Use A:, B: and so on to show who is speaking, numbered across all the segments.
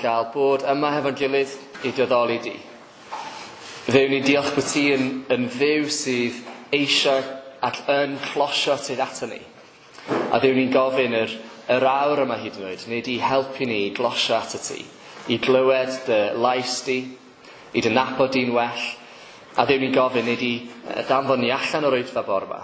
A: gael bod yma hefo'n gilydd i dy addoli di. Dduw, ni'n diolch bod ti yn Dduw sydd eisiau ac yn closio tuag ato ni. A Dduw, ni'n gofyn yr awr yma hyd yn oed, nid i helpu ni i glosio ato ti, i glywed dy lais di, i dy nabod di'n well. A Dduw, ni'n gofyn nid i danfon ni allan o'r oedfa bore 'ma,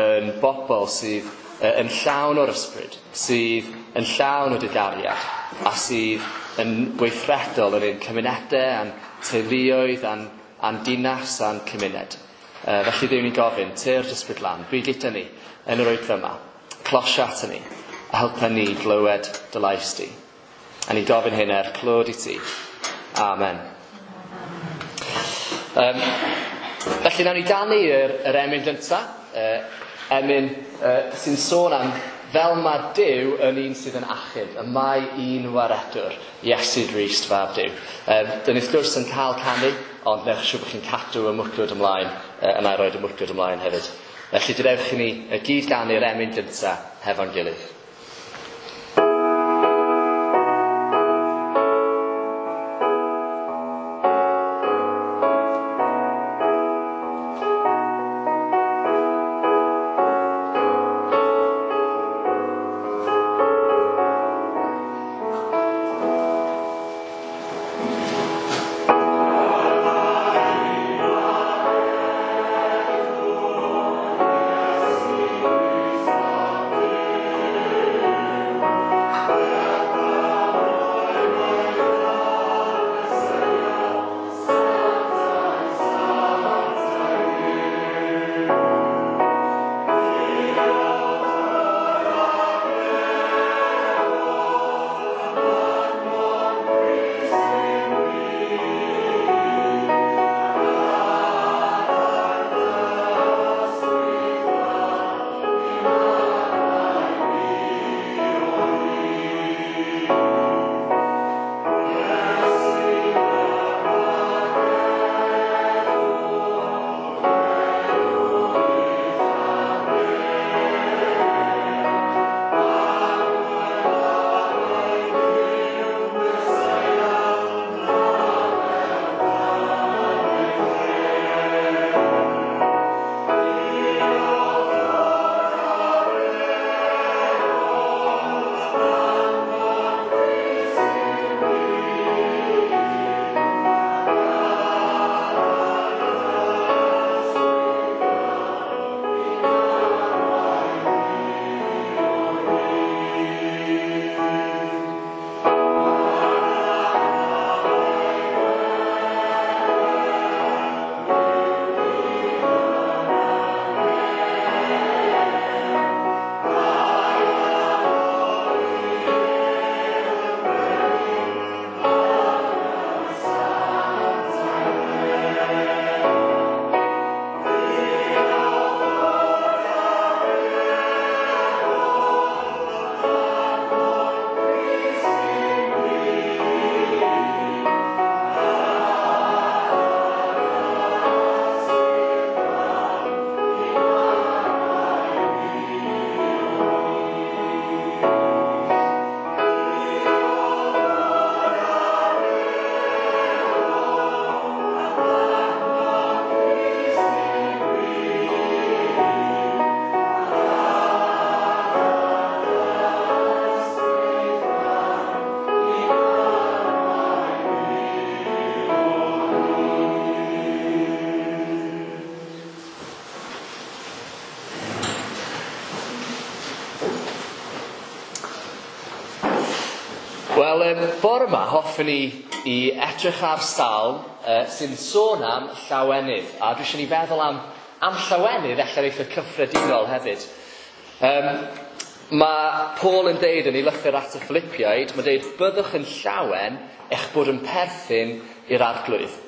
A: yn bobl sydd yn llawn o'r ysbryd, sydd yn llawn o dy gariad, a sydd yn weithredol yn ein cymunedau, a'n teuluoedd, a'n dinas, a'n cymuned. Felly Dduw, ni'n gofyn, tyrd ysbryd lan, byd gyda ni yn yr oedfa yma, closio ato ni, a helpa ni glywed dy lais di. A ni'n gofyn hyn er clod i ti. Amen. Felly nawn ni ganu yr emyn gynta, emyn sy'n sôn am fel mae Duw yn un sydd yn achub, y mae un waredwr, Iesu Grist fab Duw. Dyn ni wrth gwrs yn cael canu, ond newch siŵr bod chi'n cadw y mwcwd ymlaen, yna i roed y mwcwd ymlaen hefyd. Felly dewch i ni gyd ganu'r emyn gynta hefo'n gilydd. Wel, bore yma hoffwn i i edrych ar salm sy'n sôn am llawenydd. A dwi eisiau ni feddwl am llawenydd allan eitha cyffredinol hefyd. Mae Paul yn deud yn ei lythyr at y Philippiaid, mae'n deud, byddwch yn llawen eich bod yn perthyn i'r Arglwydd.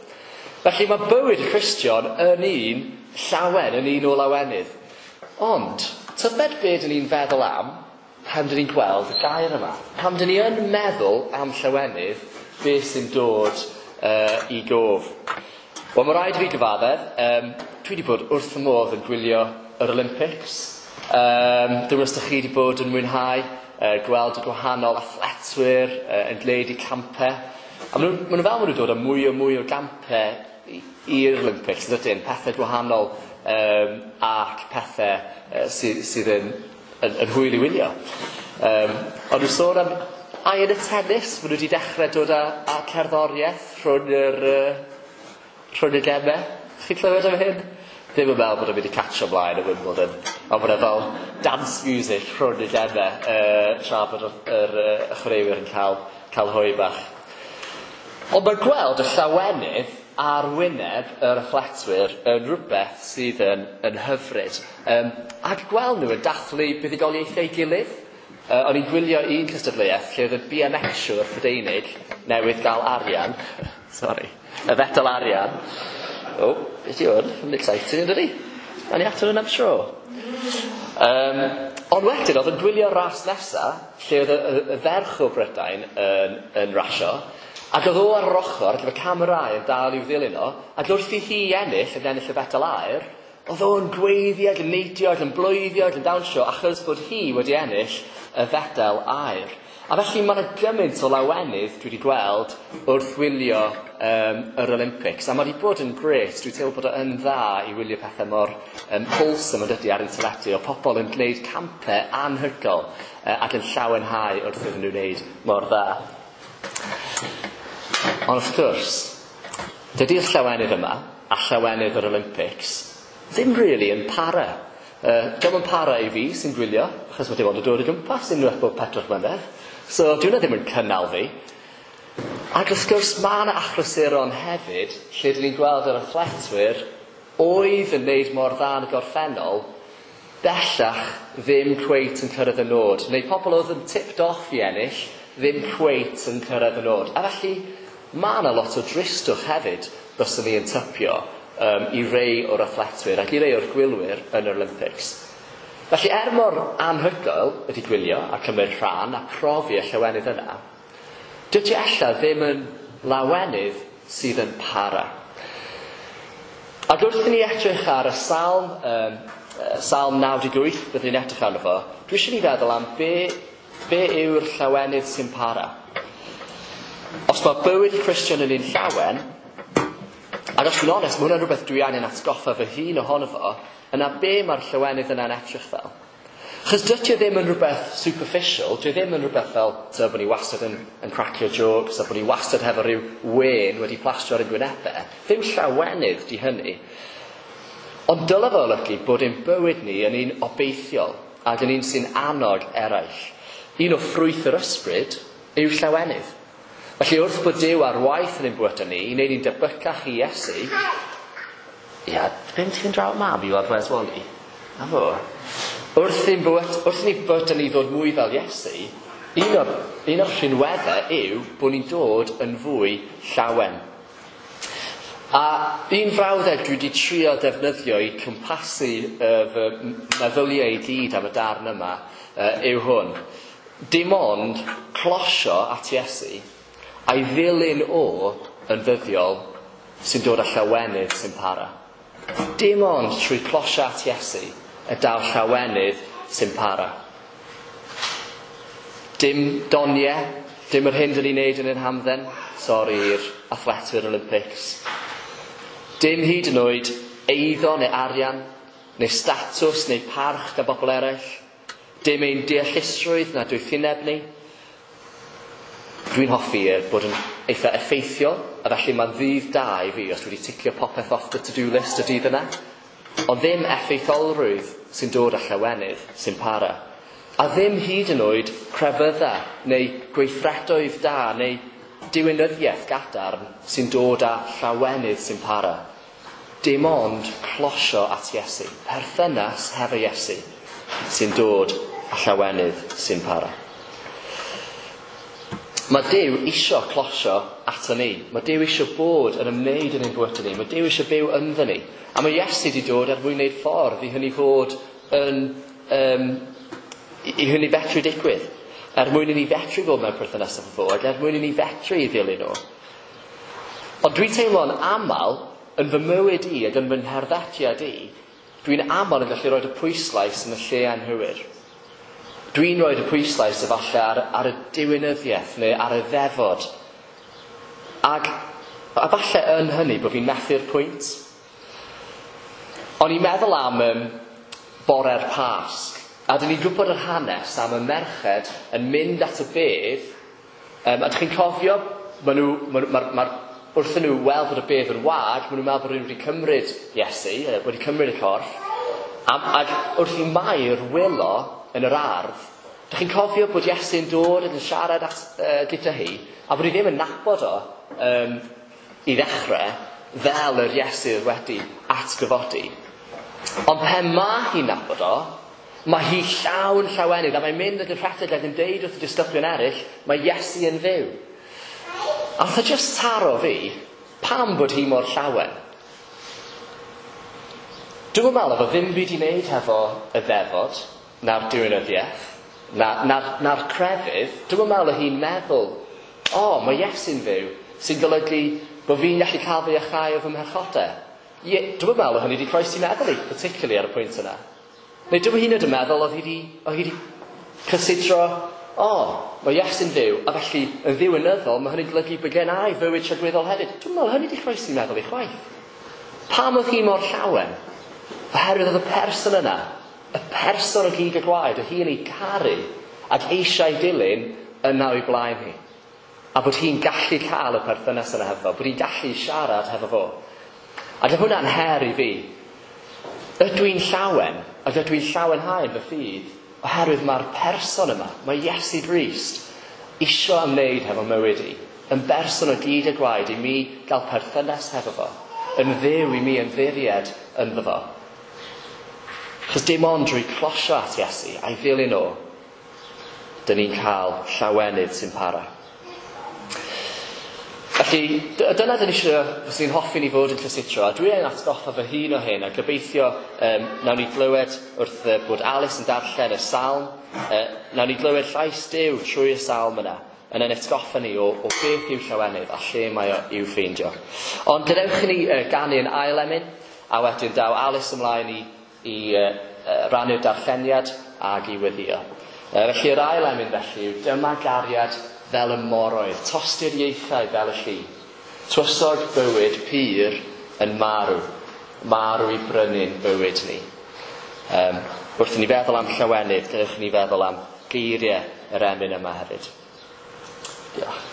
A: Felly mae bywyd y Cristion yn un llawen, yn un o lawenydd. Ond, tybed be dyn ni'n feddwl am pan dyn ni'n gweld y gair yma? Pan dyn ni yn meddwl am llawenydd, beth sy'n dod i gof? Wel, mae rhaid i fi gyfaddef, dwi wedi bod wrth fy modd yn gwylio yr Olympics. Dwi'n meddwl os ydych chi wedi bod yn mwynhau. gweld y gwahanol athletwyr yn gwneud eu campau. A maen nhw fel maen nhw'n dod â mwy o mwy o gampau i'r Olympics, yn dydyn? Pethau gwahanol ac pethau sydd yn hwyl i wylio. Ond nhw'n sôn am ai yn y tennis, maen nhw wedi dechrau dod â cerddoriaeth rhwng y gemau. Chi'n clywed am hyn? Ddim yn meddwl bod o'n mynd i catcho ymlaen y Wimbledon. Ond bod e fel dance music rhwng y gemau tra bod yr chwaraewyr yn cael hoe bach. Ond mae gweld y llawenydd ar wyneb yr athletwyr yn rhywbeth sydd yn hyfryd. Ac gweld nhw yn dathlu buddugoliaethau ei gilydd. O'n i'n gwylio un cystadleuaeth lle oedd y BMXiwr Prydeinig newydd gael arian. Sorry. Y fedal arian. O, beth yw hwn? Yn exciting, yn dydi? Awn ni ato hwn am tro. Ond wedyn, oedd yn gwylio ras nesa, lle oedd y ferch o Brydain yn rasio, ac oedd o ar yr ochr, ac efo camerâu yn dal i'w ddilyn o, ac wrth i hi ennill, yn ennill y fedal aur, oedd o'n gweiddi ac yn neidio ac yn bloeddio ac yn dawnsio, achos bod hi wedi ennill y fedal aur. A felly mae yna gymaint o lawenydd dwi wedi gweld wrth wylio yr Olympics. A mae wedi bod yn grêt. Dwi'n teimlo bod o yn dda i wylio pethau mor wholesome yn dydi ar ein teledu, o pobl yn gwneud campau anhygoel ac yn llawenhau wrth iddyn nhw wneud mor dda. Ond wrth gwrs, dydy'r llawenydd yma a llawenydd yr Olympics ddim really yn para. Dio'm yn para i fi sy'n gwylio, achos mae dim ond yn dod o gwmpas unwaith bob 4 mlynedd. So dyw hwnna ddim yn cynnal fi. Ac wrth gwrs mae yna achlysuron hefyd lle dyn ni'n gweld yr athletwyr oedd yn wneud mor dda yn y gorffennol bellach ddim cweit yn cyrraedd y nod. Neu pobl oedd yn tipped off i ennill ddim cweit yn cyrraedd y nod. A felly mae yna lot o dristwch hefyd byswn ni yn typio i rei o'r athletwyr ac i rei o'r gwylwyr yn yr Olympics. Felly er mor anhygoel ydy gwylio a cymryd rhan a profi y llawenydd yna, dydy ella ddim yn lawenydd sydd yn para. Ac wrth i ni edrych ar y salm, Salm 98, byddwn ni'n edrych arno fo, dwi eisiau ni feddwl am be yw'r llawenydd sy'n para. Os mae bywyd Cristion yn un llawen, ac os dwi'n onest, mae hwnna'n rhywbeth dwi angen atgoffa fy hun ohono fo, yna be mae'r llawenydd yna'n edrych fel? Chos dydy o ddim yn rhywbeth superficial, dydy o ddim yn rhywbeth fel bod ni wastad yn cracio jokes, a bod ni wastad hefo rhyw wên wedi plastro ar ein gwynebau. Ddim llawenydd di hynny. Ond dyle fo olygu bod ein bywyd ni yn un obeithiol ac yn un sy'n annog eraill. Un o ffrwyth yr ysbryd yw llawenydd. Felly wrth bod Duw ar waith yn ein bywydau ni, i wneud ni'n debycach i Iesu, ia, beth ti'n draw mab i weld Wes Wally? A fo. Wrth ni bywydau ni ddod mwy fel Iesu, un o'r rhinweddau yw bod ni'n dod yn fwy llawen. A un frawddeg dwi wedi trio defnyddio i cwmpasu fy meddyliau i gyd am y darn yma yw hwn. Dim ond closio at Iesu a'i ddilyn o yn ddyddiol sy'n dod â llawenydd sy'n para. Dim ond trwy closio at Iesu y daw llawenydd sy'n para. Dim doniau, dim yr hyn dyn ni'n neud yn ein hamdden, sori i'r athletwyr Olympics. Dim hyd yn oed eiddo neu arian, neu statws neu parch gan bobl eraill. Dim ein deallusrwydd na doethineb ni. Dwi'n hoffi bod yn eitha effeithiol, a felly mae'n ddydd da i fi os dwi wedi ticio popeth off the to-do list y dydd yna. Ond ddim effeithiolrwydd sy'n dod â llawenydd sy'n para. A ddim hyd yn oed crefydda neu gweithredoedd da neu diwinyddiaeth gadarn sy'n dod â llawenydd sy'n para. Dim ond closio at Iesu, perthynas hefo Iesu, sy'n dod â llawenydd sy'n para. Mae Duw isio closio ato ni. Mae Duw isio bod yn ymwneud yn ein bywyd ni. Mae Duw isio byw ynddo ni. A mae Iesu wedi dod er mwyn wneud ffordd i hynny fod yn i hynny fetru digwydd. Er mwyn i ni fetru fod mewn perthynas efo fo, ac er mwyn i ni fetru i ddilyn o. Ond dwi'n teimlo'n aml yn fy mywyd i ac yn fy ngherddediad i, dwi'n aml yn gallu rhoi y pwyslais yn y lle anghywir. Dwi'n rhoi y pwyslais efallai ar y diwinyddiaeth neu ar y ddefod. Ac a falle yn hynny bod fi'n methu'r pwynt. O'n i'n meddwl am bore'r Pasg, a dyn ni'n gwybod yr hanes am y merched yn mynd at y bedd, a dych chi'n cofio, wrth nhw weld bod y bedd yn wag, maen nhw'n meddwl bod rhywun wedi cymryd Iesu, wedi cymryd y corff, ac wrth i Mair wylo yn yr ardd, dych chi'n cofio bod Iesu'n dod yn siarad gyda hi, a bod hi ddim yn nabod o i ddechrau, fel yr Iesu wedi atgyfodi. Ond pen mae hi'n nabod o, mae hi llawn llawenydd, a mae'n mynd ac yn rhedeg ac yn deud wrth y disgyblion eraill, mae Iesu yn fyw. A nath o just taro fi, pam bod hi mor llawen? Dwi'm yn meddwl efo ddim byd i wneud hefo y ddefod, na'r diwinyddiaeth, na'r crefydd. Dwi'm yn meddwl hi'n meddwl, o, mae Iesu'n fyw, sy'n golygu bod fi'n gallu cael fy iachau o fy mhechodau. Dwi'm yn meddwl hynny wedi croesi meddwl i, particularly ar y pwynt yna. Neu dwi'm hyd yn oed yn meddwl oedd hi wedi cysidro, o, mae Iesu'n fyw, a felly yn ddiwinyddol, mae hynny'n golygu bod gen i fywyd tragwyddol hefyd. Dwi'm yn meddwl hynny wedi croesi meddwl i chwaith. Pam oedd hi mor llawen? Oherwydd oedd y person yna, y person o gig a gwaed, oedd hi'n ei caru ac eisiau dilyn yna o'i blaen hi. A bod hi'n gallu cael y perthynas yna hefo fo, bod hi'n gallu siarad hefo fo. Ac oedd hwnna'n her i fi. Ydw i'n llawen, ac ydw i'n llawenhau yn fy ffydd, oherwydd mae'r person yma, mae Iesu Grist, isio ymwneud hefo mywyd i, yn berson o gyd a gwaed i mi gael perthynas hefo fo, yn dduw i mi ymddiried ynddo fo. Chos dim ond drwy closio at Iesu a'i ddilyn o, dyn ni'n cael llawenydd sy'n para. Felly, dyna dyn ni eisiau, fyswn i'n hoffi ni fod yn cysutro, a dwi yn atgoffa fy hun o hyn, a gobeithio nawn ni glywed wrth bod Alice yn darllen y salm, nawn ni glywed llais Duw trwy y salm yna, yn ein atgoffa ni o beth yw llawenydd a lle mae o i'w ffeindio. Ond gadewch i ni ganu yn ail emyn, a wedyn daw Alice ymlaen i rannu'r darlleniad ag i weddïo. Felly yr ail emyn felly yw dyma gariad fel y moroedd, tosturiaethau fel y lli. Twysog bywyd pur yn marw, marw i brynu'n bywyd ni. Wrth i ni feddwl am llawenydd, gadewch i ni feddwl am geiriau yr emyn yma hefyd. Diolch.
B: Dyma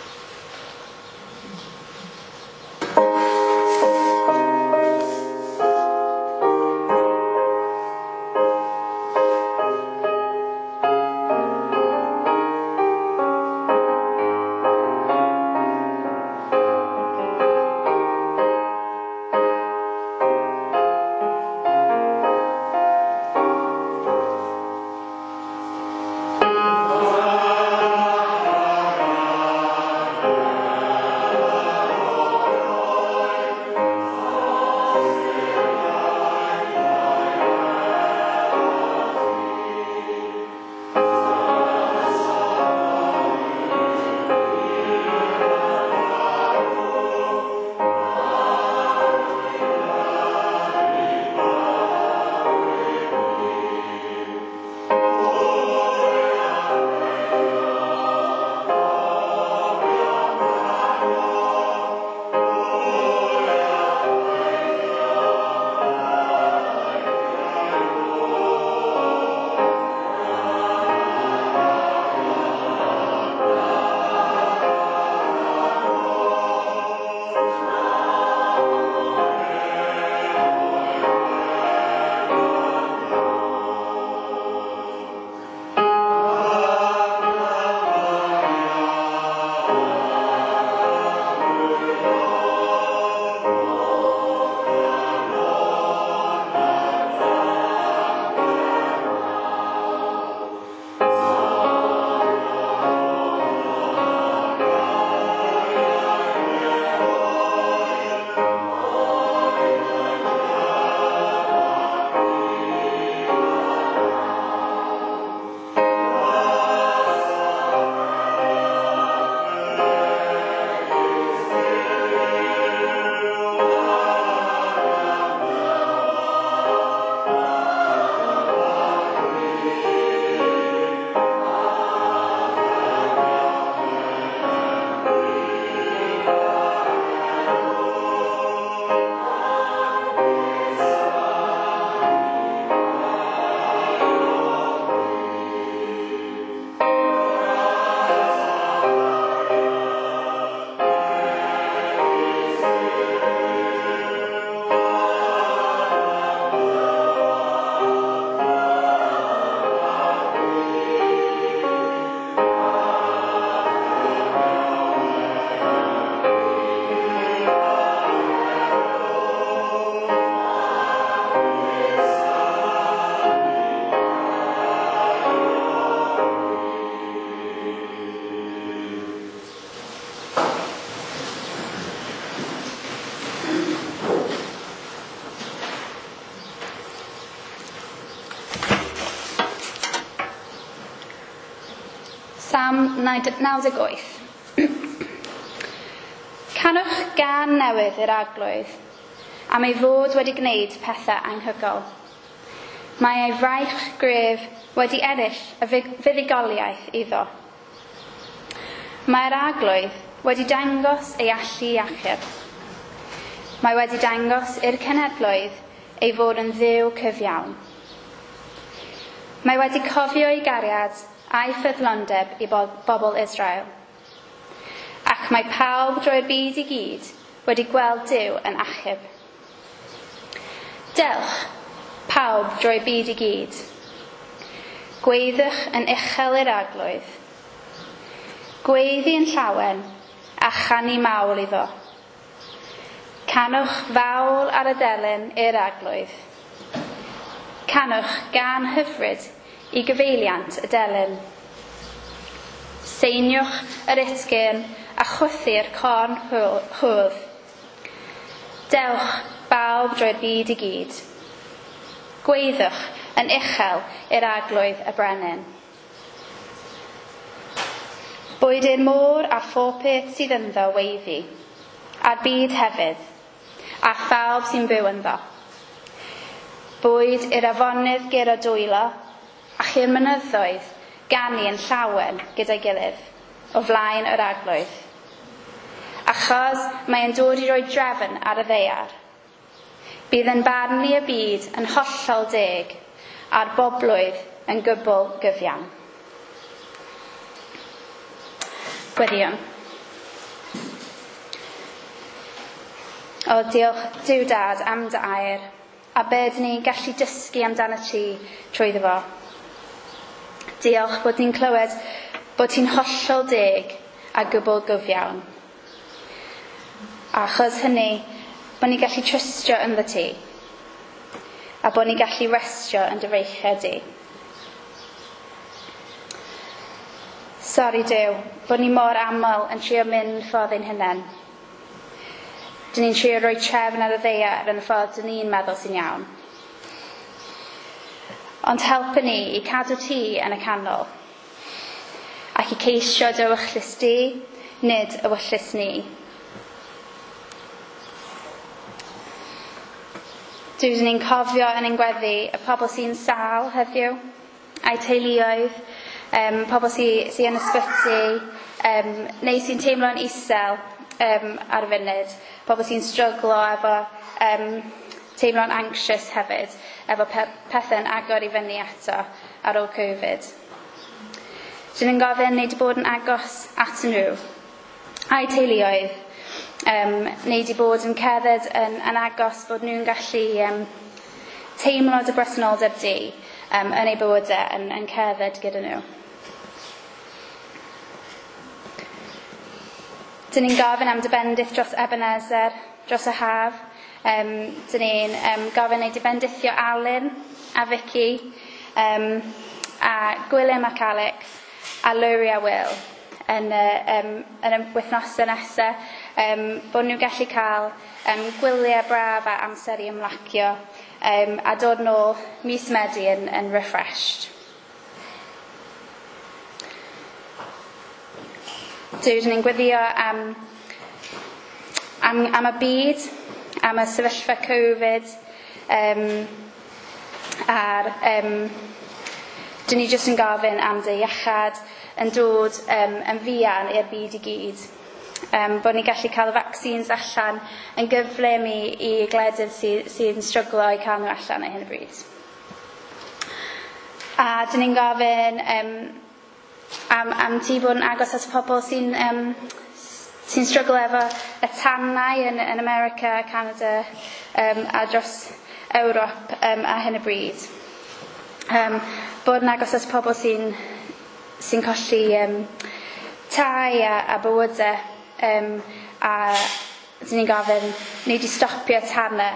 B: 98. Canwch gân newydd i'r Arglwydd, am ei fod wedi gwneud pethau anhygoel. Mae ei fraich gref wedi ennill y fuddugoliaeth iddo. Mae'r Arglwydd wedi dangos ei allu i achub. Mae wedi dangos i'r cenhedloedd ei fod yn Dduw cyfiawn. Mae wedi cofio ei gariad a'i ffyddlondeb i bobl Israel. Ac mae pawb drwy'r byd i gyd wedi gweld Duw yn achub. Dewch, pawb drwy'r byd i gyd. Gweiddiwch yn uchel i'r Arglwydd. Gweiddi yn llawen a chanu mawl iddo. Canwch fawl ar y delyn i'r Arglwydd. Canwch gân hyfryd i gyfeiliant y delyn. Seiniwch yr utgyrn a chwythu'r corn hwdd. Dewch bawb drwy'r byd i gyd. Gweiddiwch yn uchel i'r Arglwydd y Brenin. Boed i'r môr a phob peth sydd ynddo weiddi, a'r byd hefyd, a phawb sy'n byw ynddo. Boed i'r afonydd guro dwylo, ac i'r mynyddoedd ganu yn llawen gyda'i gilydd, o flaen yr Arglwydd. Achos mae e'n dod i roi drefn ar y ddaear. Bydd yn barnu y byd yn hollol deg, a'r bobloedd yn gwbl gyfiawn. Gweddïwn. O, diolch Duw Dad am dy air, a be dyn ni'n gallu dysgu amdano ti trwyddo fo. Diolch bod ni'n clywed bod ti'n hollol deg a gwbl gyfiawn. A achos hynny, bod ni'n gallu trystio ynddo ti, a bod ni'n gallu restio yn dy freichiau di. Sori Duw, bod ni mor aml yn trio mynd ffordd ein hunain. Dyn ni'n trio rhoi trefn ar y ddaear yn y ffordd dyn ni'n meddwl sy'n iawn. Ond helpu ni i cadw ti yn y canol, ac i ceisio dy ewyllys di, nid ewyllys ni. Duw, dyn ni'n cofio yn ein gweddi y pobl sy'n sâl heddiw, a'u teuluoedd, pobl sy yn ysbyty, neu sy'n teimlo'n isel ar y funud, pobl sy'n stryglo efo teimlo'n anxious hefyd, efo pethau'n agor i fyny eto ar ôl Covid. Dyn ni'n gofyn neu 'di bod yn agos at nhw, a'u teuluoedd, neu 'di bod yn cerdded yn agos bod nhw'n gallu teimlo dy bresenoldeb di yn eu bywydau yn cerdded gyda nhw. Dyn ni'n gofyn am dy bendith dros Ebenezer, dros y haf. Dyn ni'n gofyn ei dy bendithio Alun a Vicky, a Gwilym ac Alex, a Lowri a Will yn y wythnosau nesaf, bod nhw'n gallu cael gwyliau braf a amser i ymlacio, a dod nôl mis Medi yn refreshed. Duw, dyn ni'n gweddio am y byd, am y sefyllfa Covid, a'r dyn ni jyst yn gofyn am dy iechad yn dod yn fuan i'r byd i gyd. Bod ni'n gallu cael y vaccines allan yn gyflym i gwledydd sy'n stryglo i cael nhw allan ar hyn o bryd. A dyn ni'n gofyn am ti bod yn agos at pobl sy'n stryglo efo y tanau yn America, Canada, a dros Ewrop ar hyn o bryd. Bod yn agos at pobl sy'n colli tai a bywydau, a dyn ni'n gofyn ni wedi stopio tanau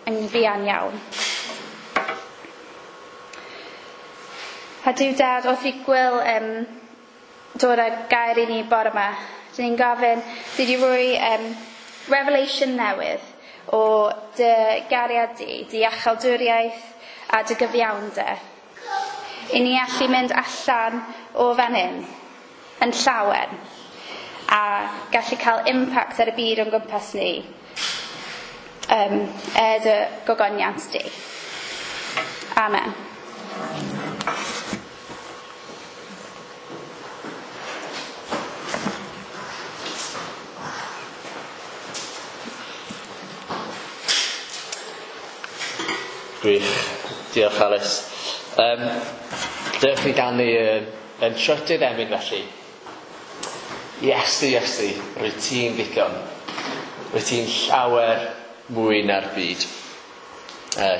B: yn fuan iawn. A Duw Dad, wrth i Gwil dod â gair i ni bore yma, dyn ni'n gofyn ti wedi rhoi revelation newydd o dy gariad di, dy iachawdwriaeth a dy gyfiawnder. I ni allu mynd allan o fan hyn yn llawen a gallu cael impact ar y byd o'n gwmpas ni er dy gogoniant di. Amen.
A: Gwych. Diolch, Alice. Dewch i ganu yn trydydd emyn felly. Iesu, Iesu, rwyt ti'n ddigon. Rwyt ti'n llawer mwy na'r byd.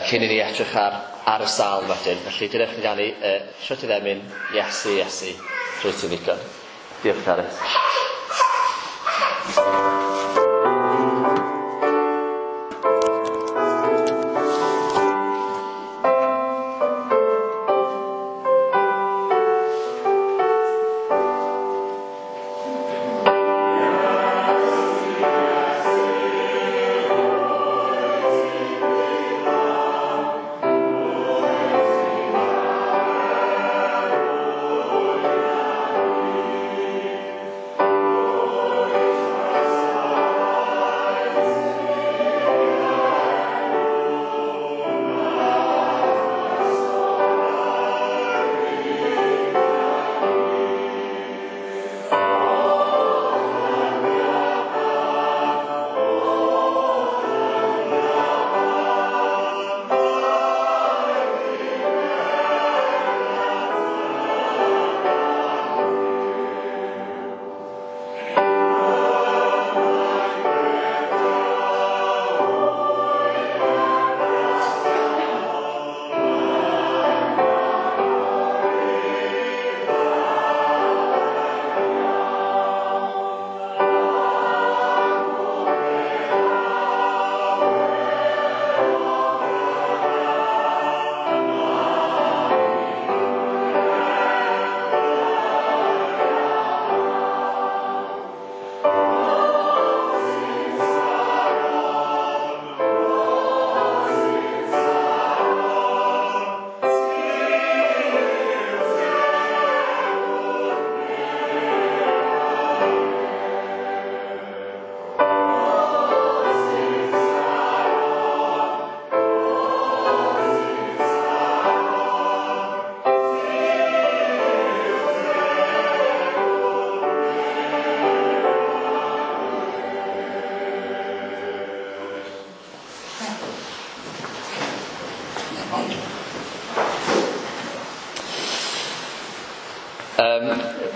A: Cyn i ni edrych ar y salm wedyn. Felly dewch i ganu trydydd emyn, Iesu, Iesu, rwyt ti'n ddigon. Diolch, Alice.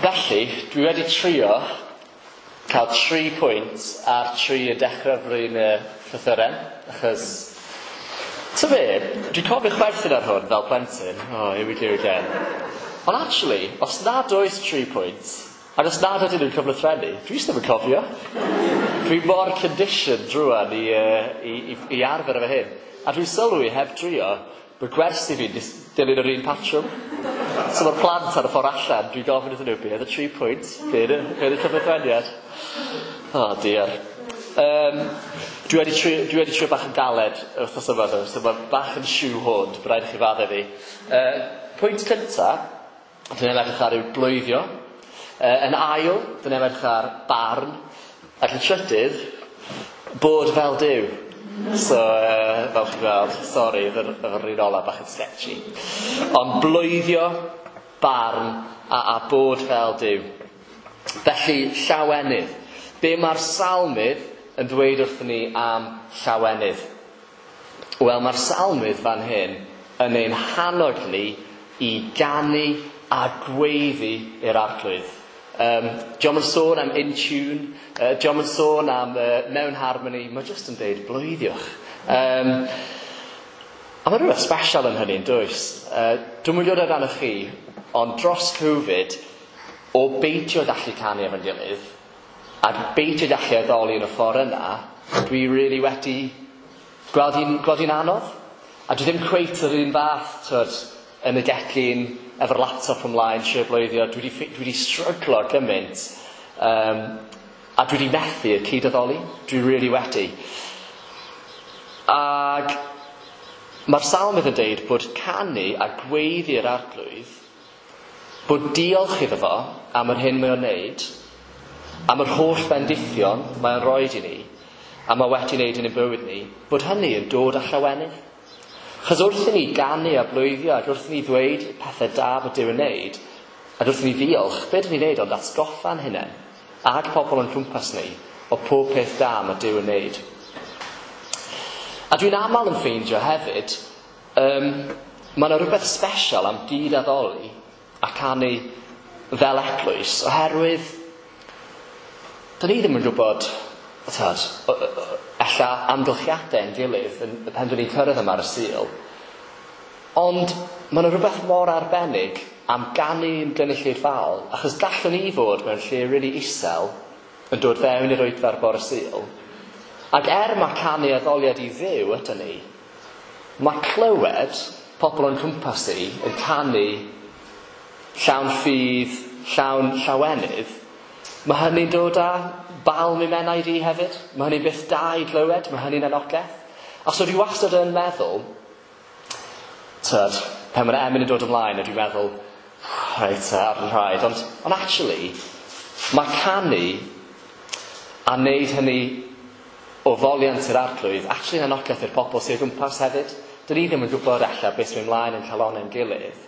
A: Felly, dwi wedi trio cael 3 pwynt ar 3 y dechrau flwyddyn y llythyren, achos, ta be, dwi'n cofio chwerthin ar hwn fel plentyn, oh, here we go again. Ond actually, os nad oes 3 pwynt, ac os nad ydyn nhw'n cyflythrennu, dwi jyst ddim yn cofio. Dwi mor conditioned rŵan i arfer efo hyn. A dwi'n sylwi heb drio, bod gwersi fi'n dilyn yr un patrwm. So mae'r plant ar y ffordd allan, dwi'n gofyn iddyn nhw, be oedd y 3 pwynt? Be oedd y cyflythreniad? Oh dear. Dwi wedi trio bach yn galed wythnos yma, though, so mae bach yn shoehorned, bydd rhaid i chi faddau fi. Pwynt cynta, dyn ni'n edrych ar yw blwyddio. Yn ail, dyn ni'n edrych ar barn. Ac yn trydydd, bod fel Duw. So, fel chi'n gweld, sori, yr un ola bach yn sketchy. Ond blwyddio, barn a bod fel Duw. Felly, llawenydd. Be mae'r salmydd yn dweud wrthyn ni am llawenydd? Wel, mae'r salmydd fan hyn yn ein hannog ni i ganu a gweiddi i'r Arglwydd. Dio'm yn sôn am in tune, dio'm yn sôn am mewn harmony, mae jyst yn deud blwyddiwch. A mae rhywbeth special yn hynny, yn does? Dwi'm yn gwybod amdanoch chi, ond dros Covid, o beidio gallu canu efo'n gilydd, a beidio gallu addoli yn y ffordd yna, dwi really wedi gweld hi'n anodd. A dwi ddim cweit yr un fath, twyd, yn y gegin, efo'r laptop ymlaen, trio blwyddio. Dwi wedi stryglo gymaint, a dwi wedi methu y cyd-addoli. Dwi really wedi. Ac mae'r salmydd yn deud bod canu a gweiddi'r Arglwydd, Bod diolch iddo fo am yr hyn mae o'n neud, am yr holl bendithion mae o'n roed i ni, a mae wedi wneud yn ein bywyd ni, bod hynny yn dod â llawenydd. Chos wrth i ni ganu a blwyddio, ac wrth i ni ddweud pethau da bod Duw yn neud, ac wrth i ni ddiolch, be dyn ni'n neud ond atgoffa'n hunain, ag pobl o'n cwmpas ni, o pob peth da mae Duw yn neud. A dwi'n aml yn ffeindio hefyd, mae yna rhywbeth special am gyd-addoli a canu fel eglwys, oherwydd dyn ni ddim yn gwybod, tad, ella amgylchiadau yn gilydd yn, pan dyn ni'n cyrraedd yma ar y Sul, ond mae yna rhywbeth mor arbennig am ganu yn gynulleidfaol, achos gallwn ni fod mewn lle really isel yn dod fewn i'r oedfa ar bore Sul, ac er mae canu addoliad i Dduw ydyn ni, mae clywed pobl o'n cwmpas i yn canu llawn ffydd, llawn llawenydd, mae hynny'n dod â balm i menaid i hefyd. Mae hynny'n beth da i glywed, mae hynny'n anogaeth. A so dwi wastad yn meddwl, tyd, pan mae'r emyn yn dod ymlaen, a dwi'n meddwl, reit, ar yn rhaid. Ond actually, mae canu a wneud hynny o foliant i'r Arglwydd, actually yn anogaeth i'r pobl sydd o gwmpas hefyd. Dyn ni ddim yn gwybod ella beth sy'n mynd ymlaen yn calonnau'n gilydd.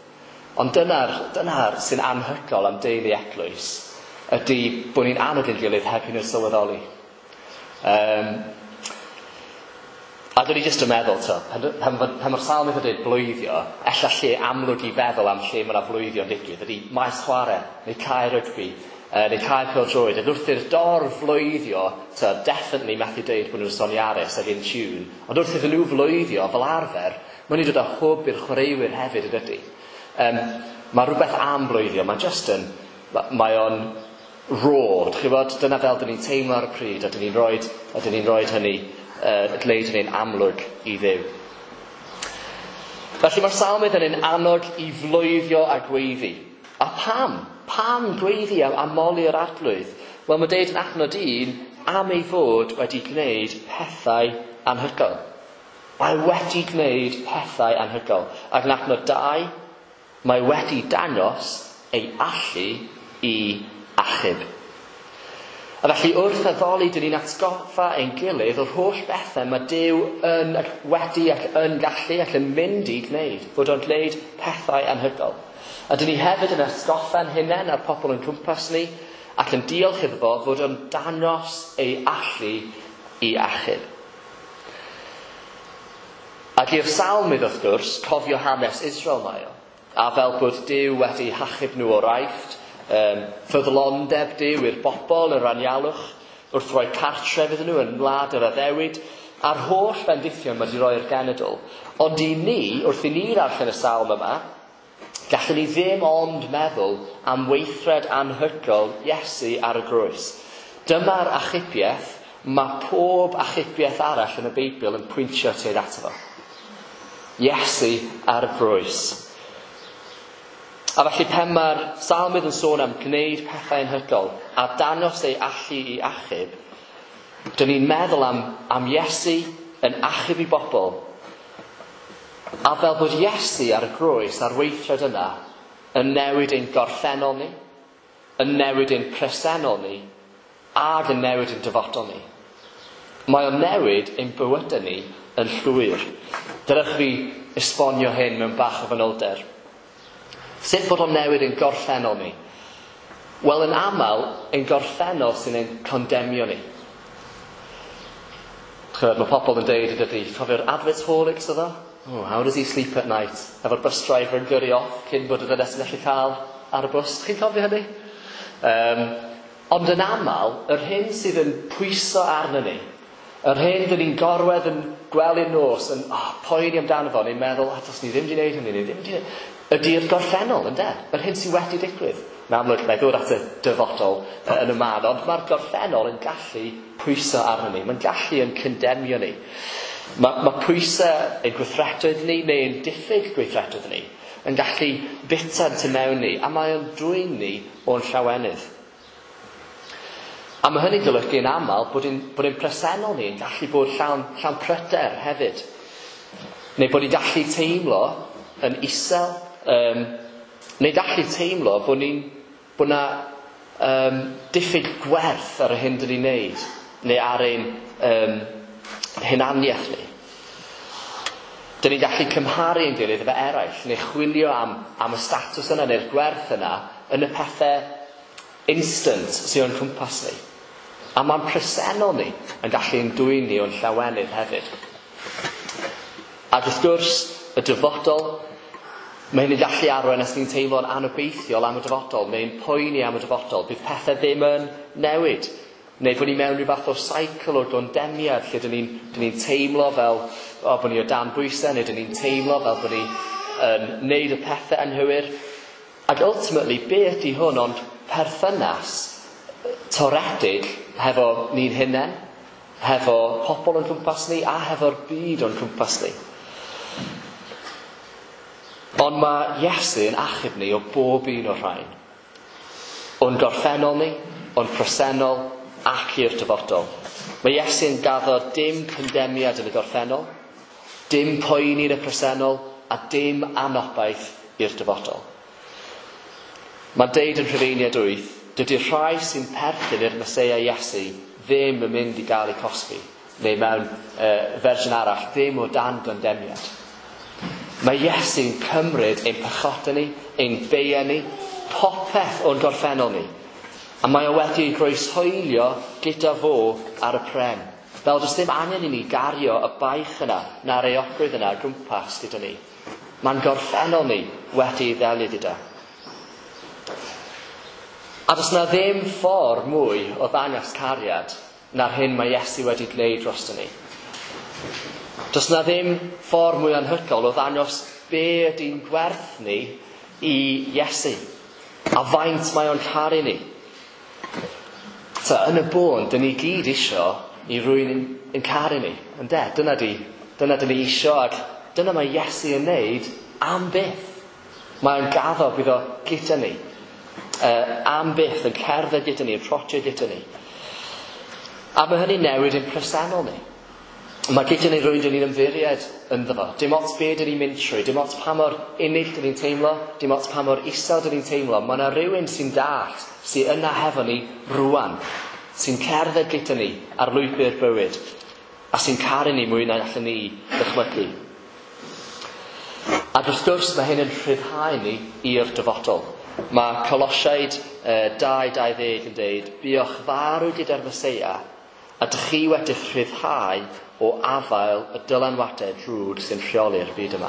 A: Ond dyna'r sy'n anhygoel am deulu eglwys, ydy bod ni'n annog ein gilydd heb i nhw sylweddoli. A dwi jyst yn meddwl, to, pan mae'r salmydd yn dweud blwyddio, ella lle amlwg i feddwl am lle mae yna flwyddio'n digwydd, ydy maes chwarae, neu cae rygbi, neu cae pêl-droed. Ac wrth i'r dorf flwyddio, to, definitely methu deud bod nhw'n soniarus ac in tune, ond wrth iddyn nhw flwyddio, fel arfer, maen nhw'n dod â hwb i'r chwaraewyr hefyd, yn dydy. Mae rhywbeth am blwyddio, mae just yn, mae o'n raw, chi'n gwybod, dyna fel dyn ni'n teimlo ar y pryd, a dyn ni'n rhoi hynny, gwneud hynny'n amlwg i Dduw. Felly mae'r salmydd yn ein annog i flwyddio a gweiddi. A pam? Pam gweiddi a moli yr Arglwydd? Wel, mae'n deud yn adnod 1 am ei fod wedi gwneud pethau anhygoel. Mae wedi gwneud pethau anhygoel. Ac yn adnod 2, mae wedi dangos ei allu i achub. A felly wrth addoli, dyn ni'n atgoffa ein gilydd o'r holl bethau mae Duw yn ac wedi ac yn gallu ac yn mynd i gwneud, fod o'n gwneud pethau anhygoel. A dyn ni hefyd yn atgoffa'n hunain a'r pobl yn cwmpas ni ac yn diolch iddo fo fod o'n dangos ei allu i achub. Ac i'r salmydd, wrth gwrs, cofio hanes Israel mae o. A fel bod Duw wedi hachub nhw o'r Aifft, ffyddlondeb Duw i'r bobl yr anialwch, wrth roi cartref iddyn nhw yn wlad yr addewid, a'r holl bendithion mae wedi roi'r genedl. Ond i ni, wrth i ni ddarllen y salm yma, gallwn ni ddim ond meddwl am weithred anhygoel Iesu ar y groes. Dyma'r achubiaeth, mae pob achubiaeth arall yn y Beibl yn pwyntio tuag ato fo. Iesu ar y groes. A felly pan mae'r salmydd yn sôn am gwneud pethau anhygoel a dangos ei allu i achub, dyn ni'n meddwl am Iesu yn achub i bobl. A fel bod Iesu ar y groes, a'r weithred yna, yn newid ein gorffennol ni, yn newid ein presennol ni, ac yn newid ein dyfodol ni. Mae o'n newid ein bywydau ni yn llwyr. Dylech fi esbonio hyn mewn bach o fanylder. Sut bod o'n newid ein gorffennol ni? Wel, yn aml, ein gorffennol sy'n ein condemio ni. Chymod, mae pobl yn deud ydy, cofio'r advertaholics oedd o? Oh, how does he sleep at night? Efo'r bus driver yn gyrru off cyn bod y ddynes yn gallu cael ar y bws. Chi'n cofio hynny? Ond yn aml, yr hyn sydd yn pwyso arno ni, yr hyn dyn ni'n gorwedd yn gwely nos, yn poeni amdano fo, ni'n meddwl, dos ni ddim wedi gwneud hynny, ni ddim wedi gwneud. Ydy'r gorffennol, ynde? Yr hyn sydd wedi digwydd. Yn amlwg, mae ddod at y dyfodol yn y man, ond mae'r gorffennol yn gallu pwyso arno ni. Mae'n gallu yn condemio ni. Mae pwysau ein gweithredoedd ni, neu ein diffyg gweithredoedd ni, yn gallu bita tu mewn ni, a mae o'n dwyn ni o'n llawenydd. A mae hynny'n golygu yn aml bod ein presennol ni yn gallu bod llawn pryder hefyd. Neu bod ni'n gallu teimlo yn isel, Neu gallu teimlo bod na diffyg gwerth ar y hyn dyn ni'n neud, neu ar ein hunaniaeth ni. Dyn ni'n gallu cymharu ein gilydd efo eraill, neu chwilio am y statws yna neu'r gwerth yna yn y pethau instant sydd o'n cwmpas ni. A mae'n presennol ni yn gallu ein dwyn ni o'n llawenydd hefyd. Ac wrth gwrs, y dyfodol, mae hyn yn gallu arwain os ni'n teimlo'n anobeithiol am y dyfodol, neu'n poeni am y dyfodol. Bydd pethau ddim yn newid. Neu bod ni mewn rhyw fath o cycle o gondemiad lle dyn ni'n teimlo fel bod ni o dan bwysau, neu dyn ni'n teimlo fel bod ni yn neud y pethau anghywir. Ac ultimately, be ydy hwn ond perthynas toredig hefo ni'n hunain, hefo pobl o'n cwmpas ni a hefo'r byd o'n cwmpas ni. Ond mae Iesu yn achub ni o bob un o'r rhain. O'n gorffennol ni, o'n presennol ac i'r dyfodol. Mae Iesu'n gaddo dim condemiad yn y gorffennol, dim poeni yn y presennol a dim anobaith i'r dyfodol. Mae'n deud yn Rhufeiniaid 8, dydy'r rhai sy'n perthyn i'r Meseia Iesu ddim yn mynd i gael eu cosbi, neu mewn fersiwn arall, ddim o dan gondemiad. Mae Iesu'n cymryd ein pechodau ni, ein beiau ni, popeth o'n gorffennol ni. A mae o wedi ei groeshoelio gyda fo ar y pren. Fel does ddim angen i ni gario y baich yna, na'r euogrwydd yna o gwmpas gyda ni. Mae'n gorffennol ni wedi ei ddelio gyda. A does na ddim ffordd mwy o ddangos cariad na'r hyn mae Iesu wedi gwneud drosto ni. Does na ddim ffordd mwy anhygoel o ddangos be ydy'n gwerth ni i Iesu. A faint mae o'n caru ni. So, yn y bôn, dyn ni gyd isio i rywun yn caru ni. Ynde? Dyna dyn ni isio, ac dyna mae Iesu yn neud am byth. Mae'n gaddo bydd o gyda ni. Am byth, yn cerdded gyda ni, yn trotio gyda ni. A mae hynny'n newid ein presennol ni. Mae gyda ni rywun dyn ni'n ymddiried ynddo fo. Dim ots be dyn ni'n mynd trwy, dim ots pa mor unig dyn ni'n teimlo, dim ots pa mor isel dyn ni'n teimlo. Mae yna rywun sy'n dallt, sy'n yna hefo ni rwan, sy'n cerdded gyda ni ar lwybr bywyd, a sy'n caru ni mwy na allan ni ddychmygu. Ac wrth gwrs mae hyn yn rhyddhau ni i'r dyfodol. Mae Colosiaid 2:20 yn deud, buoch farw gyda'r Meseia, a dych chi wedi'ch rhyddhau o afael y dylanwadau drwg sy'n rheoli'r byd yma.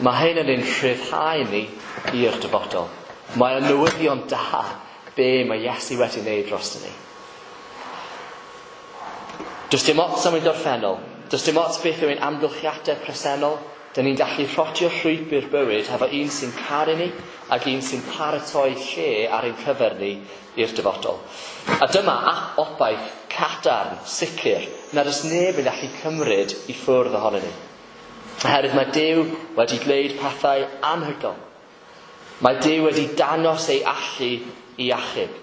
A: Mae hyn yn ein rhyddhau ni i'r dyfodol. Mae o'n newyddion da be mae Iesu wedi wneud drosto ni. Does dim ots am ein gorffennol, does dim ots beth yw ein amgylchiadau presennol, dyn ni'n gallu rhodio llwybr bywyd hefo un sy'n caru ni ac un sy'n paratoi lle ar ein cyfer ni i'r dyfodol. A dyma obaith cadarn, sicr, nad oes neb yn gallu cymryd i ffwrdd ohono ni. Oherwydd mae Duw wedi gwneud pethau anhygoel. Mae Duw wedi dangos ei allu i achub.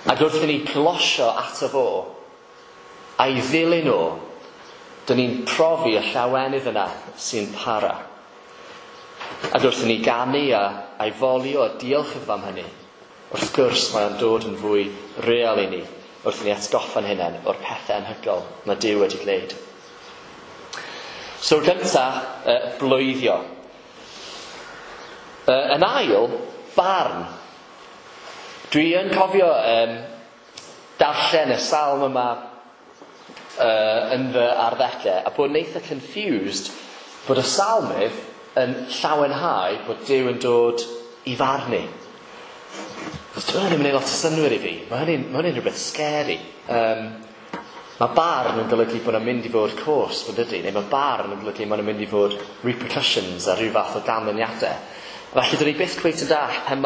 A: Ac wrth i ni glosio ato fo a'i ddilyn o, dyn ni'n profi y llawenydd yna sy'n para. Ac wrth i ni ganu a'i folio a diolch iddo am hynny, wrth gwrs mae o'n dod yn fwy real i ni wrth i ni atgoffa'n hunain o'r pethau anhygoel mae Duw wedi gwneud. So gynta, bloeddio. Yn ail, barn. Dwi yn cofio darllen y salm yma yn fy arddegau a bod yn eitha confused bod y salmydd yn llawenhau bod Duw yn dod i farnu. Dyw hynny ddim yn gwneud lot o synnwyr i fi. Mae hynny'n rhywbeth scary. Mae barn yn golygu bod yna'n mynd i fod cosb, yn dydy? Neu mae barn yn golygu bod yna'n mynd i fod repercussions a rhyw fath o ganlyniadau. Felly, dyn ni byth cweit yn dallt pan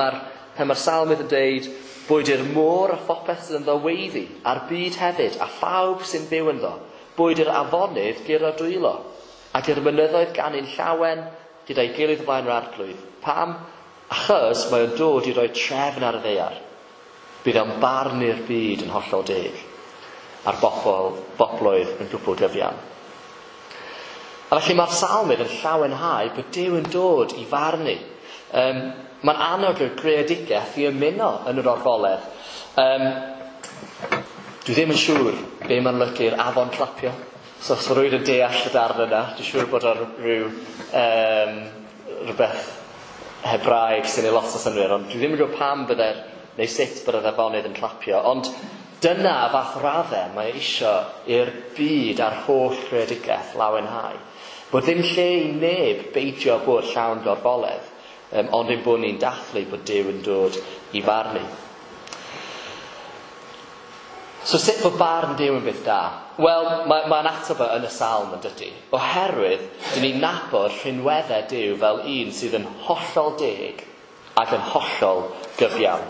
A: mae'r salmydd yn deud boed i'r môr a phopeth sydd ynddo weiddi, a'r byd hefyd, a phawb sy'n byw ynddo, boed i'r afonydd guro dwylo, ac i'r mynyddoedd ganu'n llawen gyda'i gilydd o flaen yr arglwydd. Pam? Achos mae o'n dod i roi trefn ar y ddaear. Bydd o'n barnu'r byd yn hollol deg, a'r bobloedd yn gwbl gyfiawn. A felly mae'r salmydd yn llawenhau bod Duw yn dod i farnu. Mae'n annog y greadigaeth i ymuno yn yr orfoledd. Dwi ddim yn siŵr be mae'n olygu'r afon clapio. So os mae rhywun yn deall y darn yna, dwi'n siŵr bod ar rhyw rhywbeth Hebraeg sy'n ei lot o synnwyr, ond dwi ddim yn gwybod pam bydde'r, neu sut bydde'r afonydd yn clapio. Ond dyna fath raddau mae isio i'r byd a'r holl greadigaeth lawenhau. Bod ddim lle i neb beidio bod llawn gorfoledd, ond ein bod ni'n dathlu bod Duw yn dod i farnu. So sut bod barn Duw yn beth da? Wel, mae'n ateb yn y salm yn dydy. Oherwydd, dyn ni'n nabod rhinweddau Duw fel un sydd yn hollol deg ac yn hollol gyfiawn.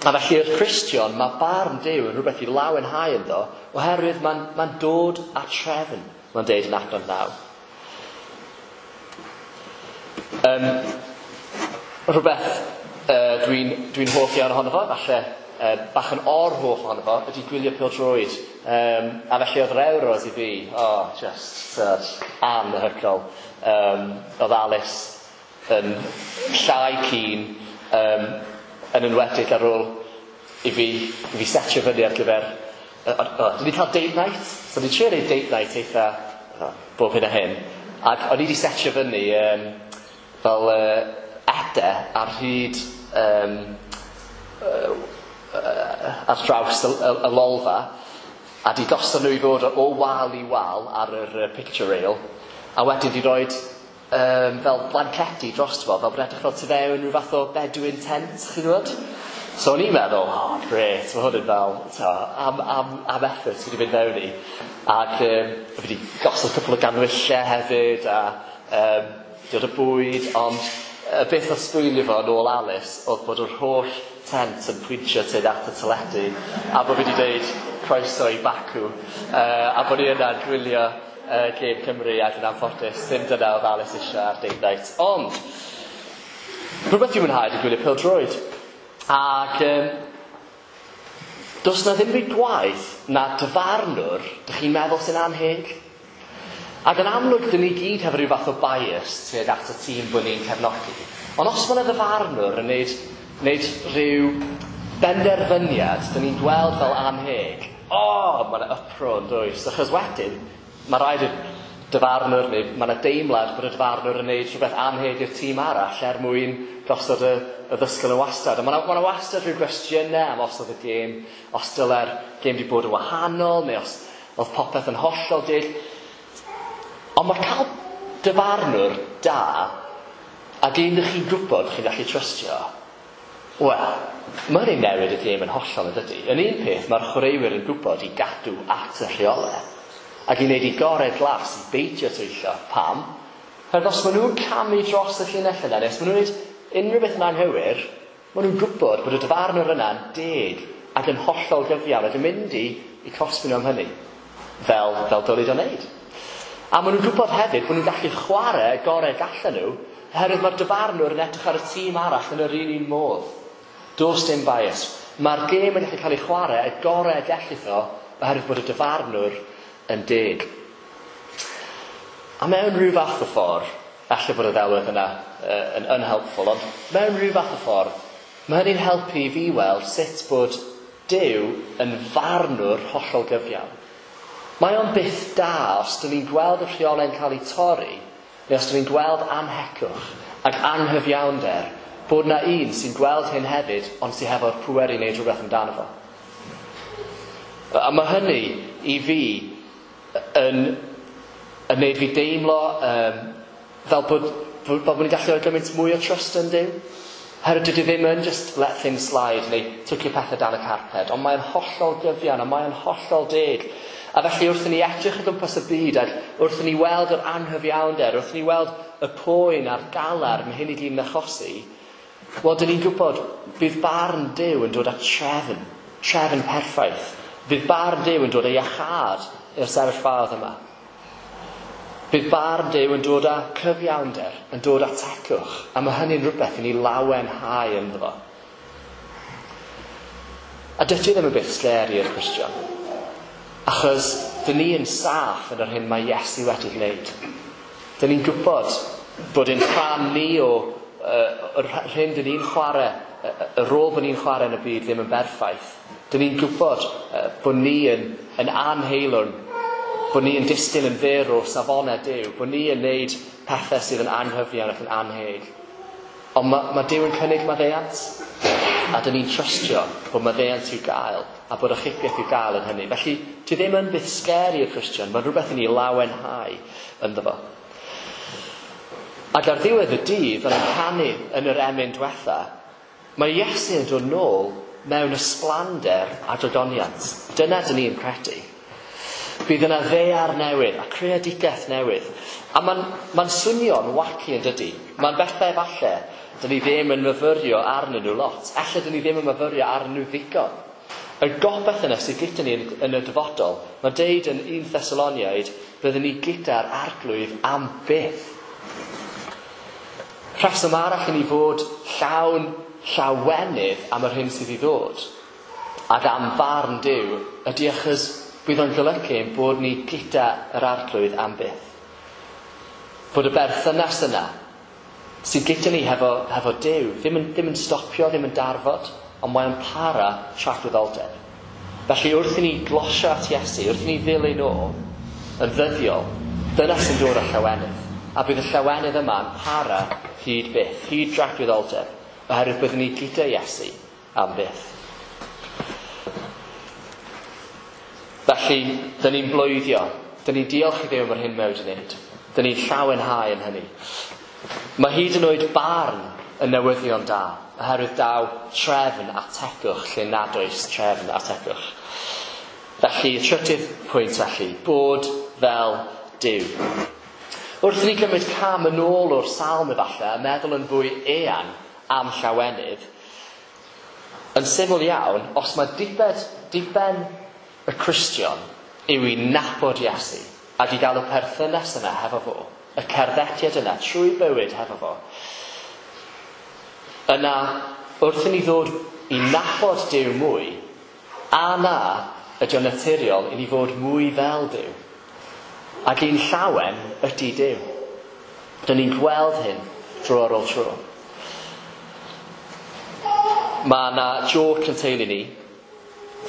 A: A felly i'r Cristion, mae barn Duw yn rhywbeth i lawenhau ynddo, oherwydd mae'n dod â trefn, mae'n deud yn adnod 9. Rhywbeth dwi'n hoff iawn ohono fo, falle bach yn or-hoff ohono fo, ydy gwylio pêl-droed. A felly oedd yr Euros i fi, just anhygoel. Oedd Alice yn llai keen, yn enwedig ar ôl i fi setio fyny ar gyfer... Dwi wedi cael date night, so ni'n trio neud date night eitha bob hyn a hyn. Ac o'n i wedi setio fyny fel ede ar hyd ar draws y lolfa, a di gosod nhw i fod o wal i wal ar yr picture rail, a wedyn di roed fel blancedi drosto fo, fel bod edrych fel tu fewn rhyw fath o Bedouin tent, chi'n gwybod? So o'n i'n meddwl, oh, great, mae hwn yn fel, am effort fi wedi mynd fewn i. Ac fi wedi gosod cwpl o ganwyllau hefyd, a dod o bwyd, ond y beth o sbwylio fo yn ôl Alice oedd bod yr holl tent yn pwyntio tuag at y teledu, a bod fi wedi dweud croeso i Baku, a bod ni yna'n gwylio gêm Cymru, ac yn anffodus, ddim dyna oedd Alice eisiau ar date night. Ond, rhywbeth dwi'n mwynhau ydy gwylio pêl-droed. Ac does na ddim byd gwaeth na dyfarnwr dych chi'n meddwl sy'n anheg. Ac yn amlwg, dyn ni gyd hefo rhyw fath o bias tuag at y tîm bod ni'n cefnogi. Ond os mae yna ddyfarnwr yn neud rhyw benderfyniad dyn ni'n gweld fel anheg, mae yna uproar yn does. Achos wedyn, mae rhaid i'r dyfarnwr, neu mae yna deimlad bod y dyfarnwr yn neud rhywbeth anheg i'r tîm arall er mwyn gosod y ddysgl yn wastad. A mae yna wastad rhyw gwestiynau am os oedd y gêm, os dyle'r gêm wedi bod yn wahanol, neu os oedd popeth yn hollol deg. Ond mae cael dyfarnwr da, ac un ydych chi'n gwybod chi'n gallu trystio, wel, mae hynny'n newid y gêm yn hollol yn dydy. Yn un peth, mae'r chwaraewyr yn gwybod i gadw at y rheolau, ac i wneud i gorau glas i beidio twyllo. Pam? Oherwydd os maen nhw'n camu dros y llinell yna, neu os maen nhw'n gwneud unrhyw beth yn anghywir, maen nhw'n gwybod bod y dyfarnwr yna'n deg ac yn hollol gyfiawn ac yn mynd i cosbi nhw am hynny, fel dylid o wneud. A maen nhw'n gwybod hefyd bod nhw'n gallu chwarae gorau gallan nhw, oherwydd mae'r dyfarnwr yn edrych ar y tîm arall yn yr un modd. Does dim bias. Mae'r gêm yn gallu cael ei chwarae y gorau gellith o, oherwydd bod y dyfarnwr yn deg. A mewn rhyw fath o ffordd, falle bod y ddelwedd yna yn unhelpful, ond mewn rhyw fath o ffordd, mae hynny'n helpu i fi weld sut bod Duw yn farnwr hollol gyfiawn. Mae o'n byth da os dyn ni'n gweld y rheolau'n cael ei torri, neu os dyn ni'n gweld anhecwch ac anghyfiawnder, bod na un sy'n gweld hyn hefyd, ond sy'n hefo'r pŵer i wneud rhywbeth amdano fo. A mae hynny i fi yn wneud fi deimlo fel bod ni'n gallu rhoi gymaint mwy o trust yn Duw. Herwydd dydy ddim yn just let things slide neu twcio pethau dan y carped, ond mae'n hollol gyfiawn a mae'n hollol deg. A felly wrth i ni edrych o gwmpas y byd, ac wrth i ni weld yr anghyfiawnder, wrth i ni weld y poen a'r galar mae hyn i gyd yn achosi, wel, dyn ni'n gwybod bydd barn Duw yn dod â trefn, trefn perffaith. Bydd barn Duw yn dod â iachâd i'r sefyllfaoedd yma. Bydd barn Duw yn dod â cyfiawnder, yn dod â tecwch, a mae hynny'n rhywbeth i ni lawenhau ynddo fo. A dydy ddim yn beth scary i'r Cristion, achos dyn ni yn saff yn yr hyn mae Iesu wedi gwneud. Dyn ni'n gwybod Bod ein rhan ni o yr hyn dyn ni'n chwarae, y rôl bod ni'n chwarae yn y byd ddim yn berffaith. Dyn ni'n gwybod bod ni yn anheilwng, bod ni yn disgyn yn fyr o safonau Duw, bod ni yn neud pethau sydd yn anghyfiawn ac yn anheg. Ond mae Duw yn cynnig maddeuant, a dyn ni'n trystio bod maddeuant i'w gael a bod achubiaeth i'w gael yn hynny. Felly, ti ddim yn byth scary i'r Cristion, mae'n rhywbeth i ni lawenhau ynddo fo. Ac ar ddiwedd y dydd, fel yn canu yn yr emyn diwetha, mae Iesu yn dod nôl mewn ysblander a dodoniant. Dyna dyn ni'n credu. Bydd yna ddaear newydd a creadigaeth newydd. A mae'n swnio'n wacky yn dydy. Mae'n bethau falle dyn ni ddim yn myfyrio arnyn nhw lot. Ella dyn ni ddim yn myfyrio arnyn nhw ddigon. Y gobaith yna sydd gyda ni yn y dyfodol, mae'n deud yn 1 Thessaloniaid, byddwn ni gyda'r arglwydd am byth. Rheswm arall i ni fod llawn llawenydd am yr hyn sydd i ddod ac am farn Duw ydy achos bydd o'n golygu ein bod ni gyda yr arglwydd am byth. Bod y berthynas yna sydd gyda ni hefo Duw ddim yn stopio, ddim yn darfod, ond mae'n para tragwyddoldeb. Felly wrth i ni glosio at Iesu, wrth i ni ddilyn o yn ddyddiol, dyna sy'n dod â llawenydd. A bydd y llawenydd yma yn para hyd byth, hyd dragwyddoldeb, oherwydd byddwn ni gyda Iesu am byth. Felly, dyn ni'n bloeddio, dyn ni'n diolch i Dduw am yr hyn mae wedi wneud. Dyn ni'n llawenhau yn hynny. Mae hyd yn oed barn yn newyddion da, oherwydd daw trefn a tegwch lle nad oes trefn a tegwch. Felly, y trydydd pwynt felly, bod fel Duw. Wrth i ni gymryd cam yn ôl o'r salm efallai a meddwl yn fwy eang am llawenydd, yn syml iawn, os mae diben y Cristion yw i nabod Iesu ac i gael y perthynas yna hefo fo, y cerddediad yna trwy bywyd hefo fo, yna wrth i ni ddod i nabod Duw mwy, a na ydy o'n naturiol i ni fod mwy fel Duw. Ac un llawen ydy Duw. Dyn ni'n gweld hyn dro ar ôl tro. Mae yna joke yn teulu ni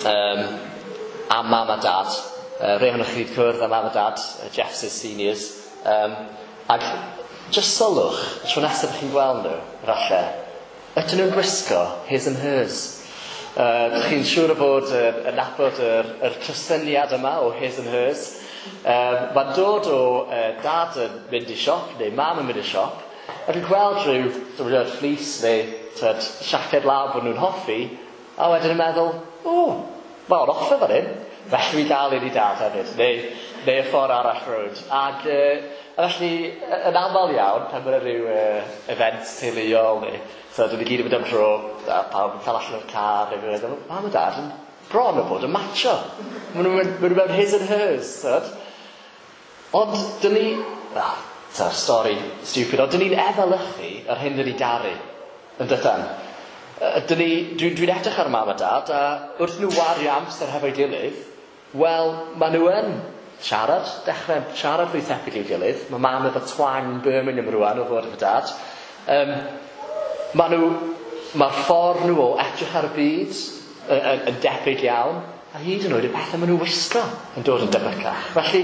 A: am mam a dad. Rhai ohonoch chi wedi cwrdd â mam a dad, Jeff's seniors. Ac just sylwch, y tro nesaf chi'n gweld nhw, falle, ydyn nhw'n gwisgo his and hers. Chi'n siŵr o fod yn nabod yr cysyniad yma o his and hers. Mae'n dod o dad yn mynd i siop, neu mam yn mynd i siop, ac yn gweld rhyw fleece neu siaced law bod nhw'n hoffi, a wedyn yn meddwl, o, mae'n offer fan hyn, felly fi gael un i dad hefyd, neu y ffordd arall rownd. Ac felly, yn aml iawn, pan mae'n rhyw event teuluol, neu so dyn ni gyd yn mynd am dro, a pawb yn cael allan o'r car, neu mae'n meddwl, mam a dad yn bron o bod yn matcho. Maen nhw mewn his and hers. Tyd. Ond dyn ni, stori stupid, ond dyn ni'n efelychu yr hyn dyn ni garu, yn dydan. Dwi'n edrych ar mam a dad, a wrth nhw wario amser hefo'i gilydd, wel, maen nhw yn siarad, dechrau siarad fwy tebyg i'w gilydd. Mae mam efo twang Birmingham rwan o fod efo dad. Mae'r ffordd nhw o edrych ar y byd yn debyg iawn, a hyd yn oed y pethau maen nhw'n wisgo yn dod yn debycach. Felly,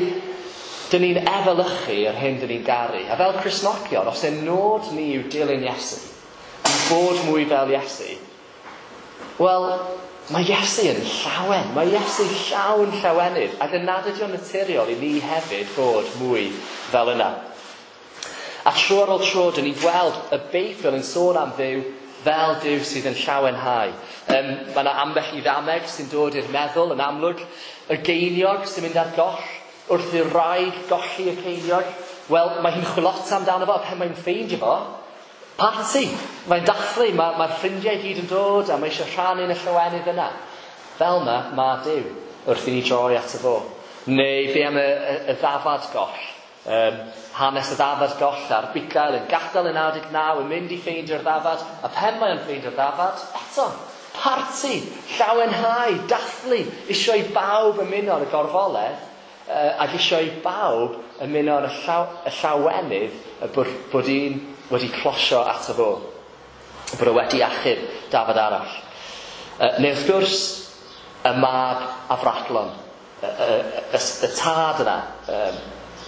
A: dyn ni'n efelychu yr hyn dyn ni'n garu. A fel Cristnogion, os ein nod ni yw dilyn Iesu, i bod mwy fel Iesu, wel, mae Iesu yn llawen. Mae Iesu llawn llawenydd. Ac yn nad ydy o'n naturiol i ni hefyd fod mwy fel yna. A tro ar ôl tro, dyn ni'n gweld y Beibl yn sôn am Dduw fel Duw sydd yn llawenhau. Mae yna ambell i ddameg sy'n dod i'r meddwl yn amlwg. Y geiniog sy'n mynd ar goll. Wrth i'r wraig golli y ceiniog, wel, mae hi'n chwilota amdano fo, a pan mae'n ffeindio fo, parti. Mae'n dathlu, mae'r ffrindiau i gyd yn dod, a mae eisiau rhannu yn y llawenydd yna. Fel yna, mae Duw, wrth i ni droi ato fo. Neu be am y ddafad goll? Hanes y ddafad goll a'r bugail yn gadael y 99 yn mynd i ffeindio'r ddafad, a pen mae'n ffeindio'r ddafad, eto, parti, llawenhau, dathlu, eisiau i bawb ymuno ar y gorfoledd, ac eisiau i bawb ymuno yn y llawenydd bod un wedi closio ato fo. Bod o wedi achub dafad arall. Neu wrth gwrs, y mab afradlon, y tad yna,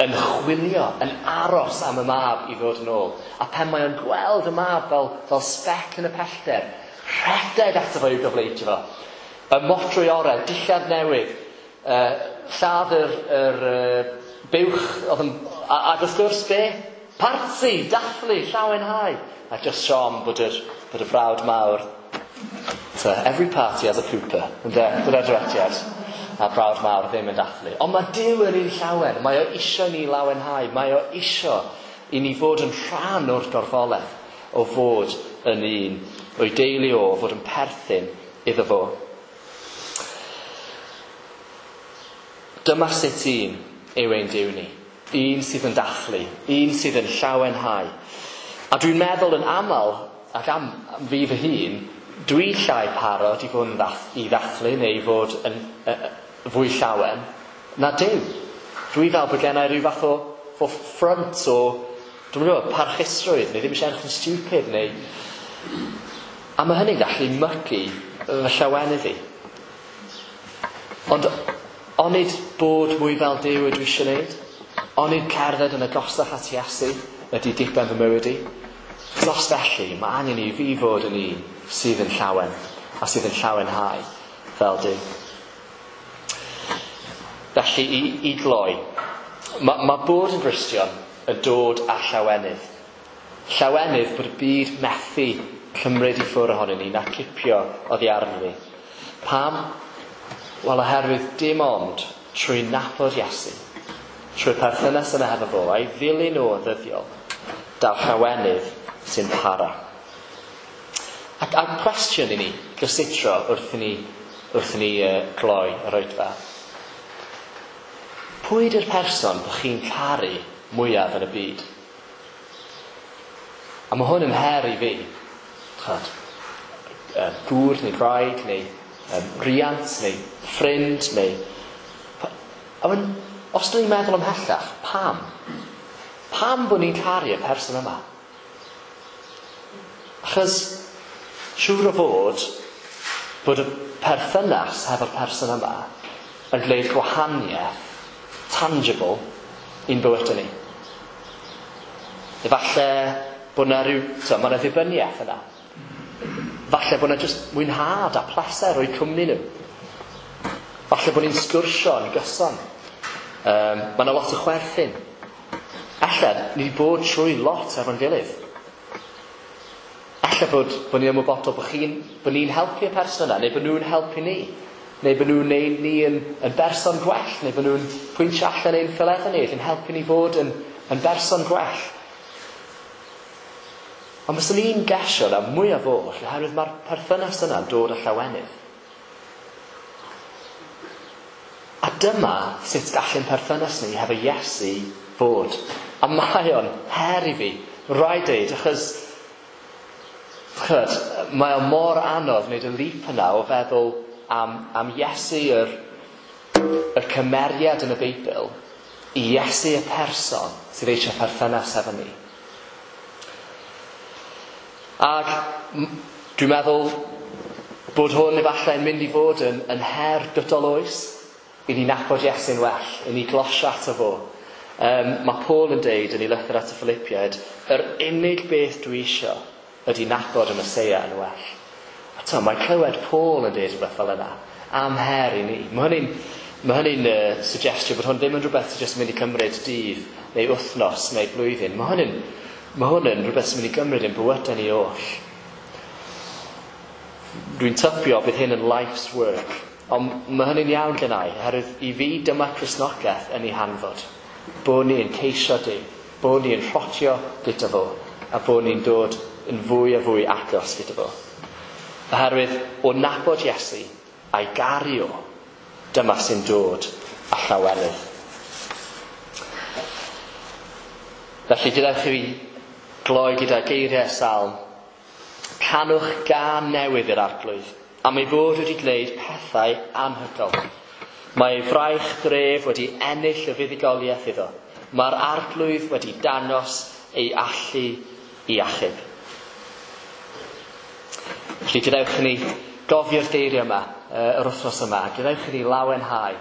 A: yn chwilio, yn aros am y mab i ddod yn ôl. A pen mae o'n gweld y mab fel sbec yn y pellter, rhedeg ato fo i'w gyfleiddio fo. Y modrwy orau, dillad newydd, lladd yr buwch, oedd yn, ac wrth gwrs be? Parti, dathlu, llawenhau. A just siom bod y brawd mawr. So, every party has a pooper. Ynde? Dyna'r dywediad. A brawd mawr ddim yn dathlu. Ond mae Duw yn un llawen. Mae o isio ni lawenhau. Mae o isio i ni fod yn rhan o'r gorfoledd o fod yn un o'i deulu o, fod yn perthyn iddo fo. Dyma sut un yw ein Duw ni. Un sydd yn dathlu. Un sydd yn llawenhau. A dwi'n meddwl yn aml, ac am fi fy hun, dwi llai parod i fod yn i ddathlu neu i fod yn fwy llawen na Duw. Dwi fel bod gennau rhyw fath o ffront o, dwi'n gwybod, parchusrwydd, neu ddim eisiau edrych yn stupid, neu... A mae hynny'n gallu mygu fy llawenydd i. Ond onid bod mwy fel Duw ydw i eisiau gwneud? Onid cerdded yn agosach at Iesu ydy diben fy mywyd i? Os felly, mae angen i fi fod yn un sydd yn llawen a sydd yn llawenhau fel Duw. Felly, i gloi, mae bod yn Gristion yn dod â llawenydd. Llawenydd bod y byd methu cymryd i ffwrdd ohonyn ni na cipio oddi arno ni. Pam? Wel, oherwydd dim ond trwy nabod Iesu, trwy'r perthynas yna hefo fo, a'i ddilyn o yn ddyddiol, daw llawenydd sy'n para. Ac cwestiwn i ni gysutro wrth i ni gloi yr oedfa. Pwy ydy'r person bod chi'n caru mwyaf yn y byd? A mae hwn yn her i fi. Chod, gŵr neu gwraig neu riant neu ffrind neu... A os dyn ni'n meddwl ymhellach, pam? Pam bod ni'n caru y person yma? Achos siŵr o fod bod y perthynas hefo'r person yma yn gwneud gwahaniaeth tangible i'n bywydau ni. Efallai bod yna rhyw... mae yna ddibyniaeth yna. Falle bod yna jyst mwynhad a pleser o'i cwmni nhw. Falle bod ni'n sgwrsio yn gyson. Mae yna lot o chwerthin. Ella, ni wedi bod trwy lot efo'n gilydd. Ella bod ni'n ymwybodol bod ni'n helpu y person yna, neu bod nhw'n helpu ni. Neu bod nhw'n neud ni yn berson gwell, neu bod nhw'n pwyntio allan ein ffaeleddau ni, yn helpu ni fod yn berson gwell. Ond byswn i'n gesio na mwyaf oll, oherwydd mae'r perthynas yna'n dod â llawenydd. A dyma sut gallu'n perthynas ni hefo Iesu fod. A mae o'n her i fi, rhaid deud, achos chyd, mae o mor anodd wneud y leap yna o feddwl am Iesu yr cymeriad yn y Beibl i Iesu y person sydd eisiau perthynas efo ni. Ac dwi'n meddwl bod hwn efallai yn mynd i fod yn her gydol oes i ni nabod Iesu'n well, i ni glosio ato fo. Mae Paul yn deud yn ei lythyr at y Philippiaid, yr unig beth dwi isio ydy nabod y Meseia yn well. A to, mae clywed Paul yn deud rhywbeth fel yna, am her i ni. Mae hynny'n suggestio bod hwn ddim yn rhywbeth sy'n jyst mynd i cymryd dydd, neu wythnos, neu blwyddyn. Mae hwn yn rhywbeth sy'n mynd i gymryd ein bywydau ni oll. Dwi'n tybio bydd hyn yn life's work, ond mae hynny'n iawn gennau, oherwydd i fi dyma Cristnogaeth yn ei hanfod. Bod ni'n ceisio Duw, bod ni'n rhotio gyda fo, a bod ni'n dod yn fwy a fwy agos gyda fo. Oherwydd o nabod Iesu a'i garu o, dyma sy'n dod â llawenydd. Felly gadewch i fi gloi gyda geiriau salm. Canwch gân newydd i'r Arglwydd, am ei fod wedi gwneud pethau anhygoel. Mae ei fraich gref wedi ennill y fuddugoliaeth iddo. Mae'r Arglwydd wedi dangos ei allu i achub. Felly gadewch i ni gofio'r geiriau yma, yr wythnos yma, a gadewch i ni lawenhau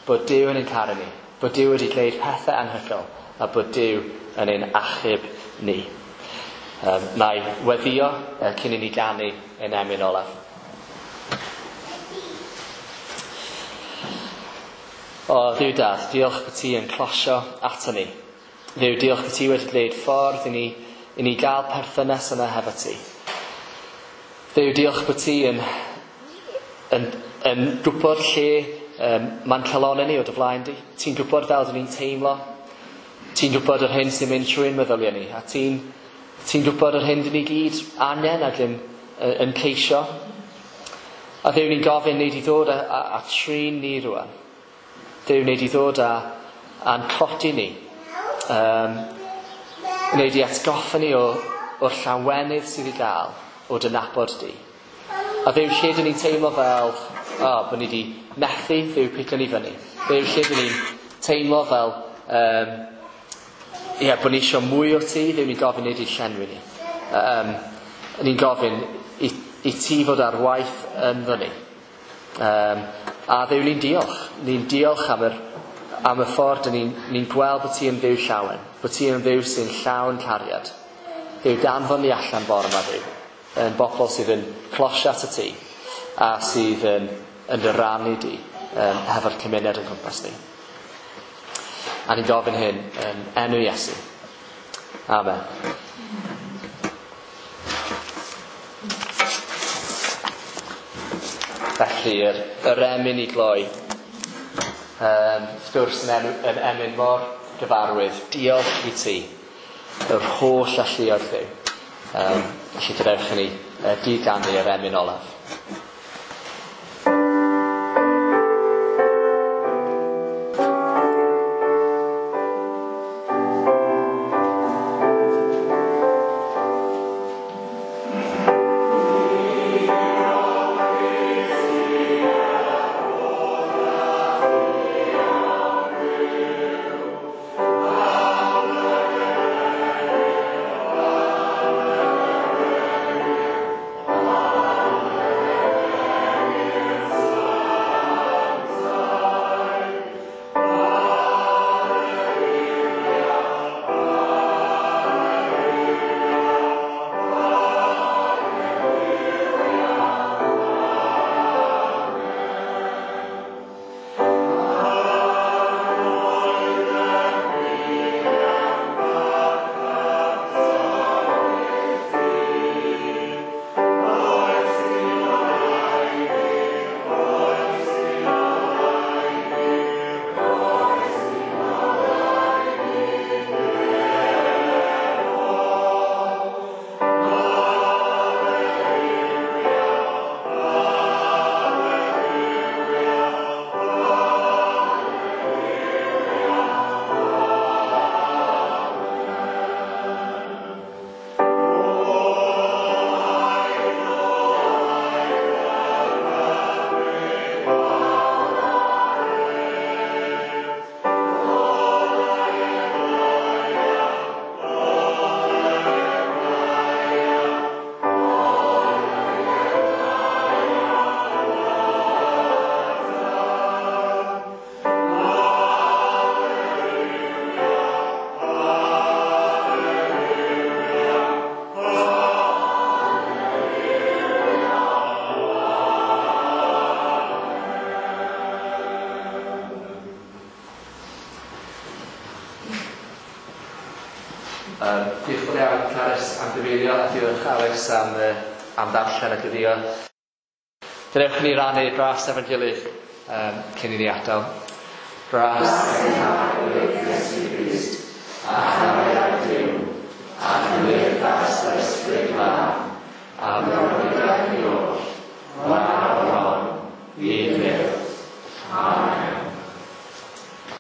A: bod Duw yn ein caru ni, bod Duw wedi gwneud pethau anhygoel, a bod Duw yn ein achub ni. Na i weddïo cyn i ni ganu ein emyn olaf. O, Dduw Dad, diolch bod ti yn closio ato ni. Dduw, diolch bod ti wedi gwneud ffordd i ni gael perthynas yna hefo ti. Dduw, diolch bod ti yn gwybod lle mae'n calonnau ni o dy flaen di. Ti'n gwybod fel dyn ni'n teimlo. Ti'n gwybod yr hyn sy'n mynd trwy'n meddyliau ni. A ti'n gwybod yr hyn dyn ni gyd angen ac yn ceisio. A Dduw, ni'n gofyn nei di ddod a trin ni rwan. Duw, nei di ddod a'n codi ni. Nei di atgoffa ni o'r llawenydd sydd i gael o dy nabod di. A Dduw, lle dyn ni'n teimlo fel, bod ni wedi methu, Dduw, pigo ni fyny. Dduw, lle dyn ni'n teimlo fel, bod ni eisiau mwy o ti, Dduw, ni'n gofyn nei di llenwi ni. Ni'n gofyn i ti fod ar waith ynddo ni. A Dduw, ni'n diolch. Ni'n diolch am y ffordd ni'n gweld bod ti yn Dduw llawen, bod ti yn Dduw sy'n llawn cariad. Dduw, danfon ni allan bore yma, Dduw, yn bobl sydd yn closio at y ti a sydd yn dy rannu di hefo'r cymuned yn cwmpas ni. A ni'n gofyn hyn yn enw Iesu. Amen. Felly, yr emyn i gloi, wrth gwrs yn emyn mor gyfarwydd, diolch i ti, yr holl alluoedd Dduw. Felly gadewch i ni gyd-ganu yr emyn olaf. Diolch yn fawr iawn, Carys, am gyfeirio, a diolch Alex am ddarllen a gweddio. Gadewch i ni rannu gras efo'n gilydd cyn i ni adael. Gras ein Harglwydd Iesu Grist, a chariad Duw, a chymdeithas yr Ysbryd Glân, a brofiad ni oll, rwan